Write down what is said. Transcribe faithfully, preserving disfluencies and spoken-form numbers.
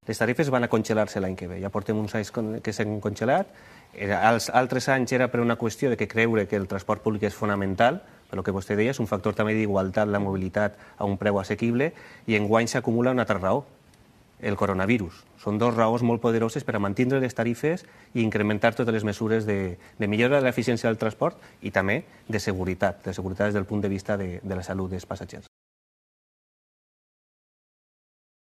Les tarifes van a congelar-se l'any que ve. Ja portem uns anys que s'han congelat. Els altres anys era per una qüestió de que creure que el transport públic és fonamental, per el que vostè deia, és un factor també d'igualtat, la mobilitat a un preu assequible, i enguany s'acumula una altra raó, el coronavirus. Són dues raons molt poderoses per a mantenir les tarifes i incrementar totes les mesures de, de millora de l'eficiència del transport i també de seguretat, de seguretat des del punt de vista de, de la salut dels passatgers.